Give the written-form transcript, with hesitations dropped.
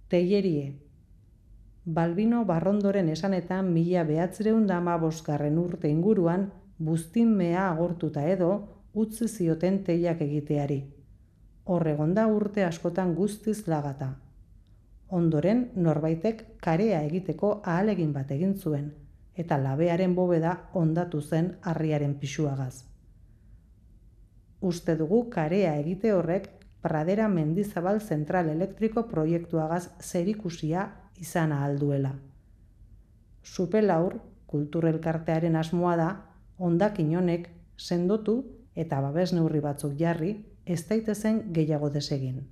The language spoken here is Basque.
Teierie. Balbino Barrondoren esanetan 1915 urte inguruan buztin-mea agortuta edo utzi zioten teiak egiteari. Hor egon da urte askotan guztiz lagata. Ondoren norbaitek karea egiteko ahalegin bat egin zuen, eta labearen bobeda hondatu zen harriaren pisuagaz. Uste dugu karea egite horrek Pradera Mendizabal Zentral Elektriko proiektuagaz zerikusia izan ahal duela. Supelaur, kulturelkartearen asmoa da, hondakin honek sendotu eta babes neurri batzuk jarri, ez daitezen gehiago desegin.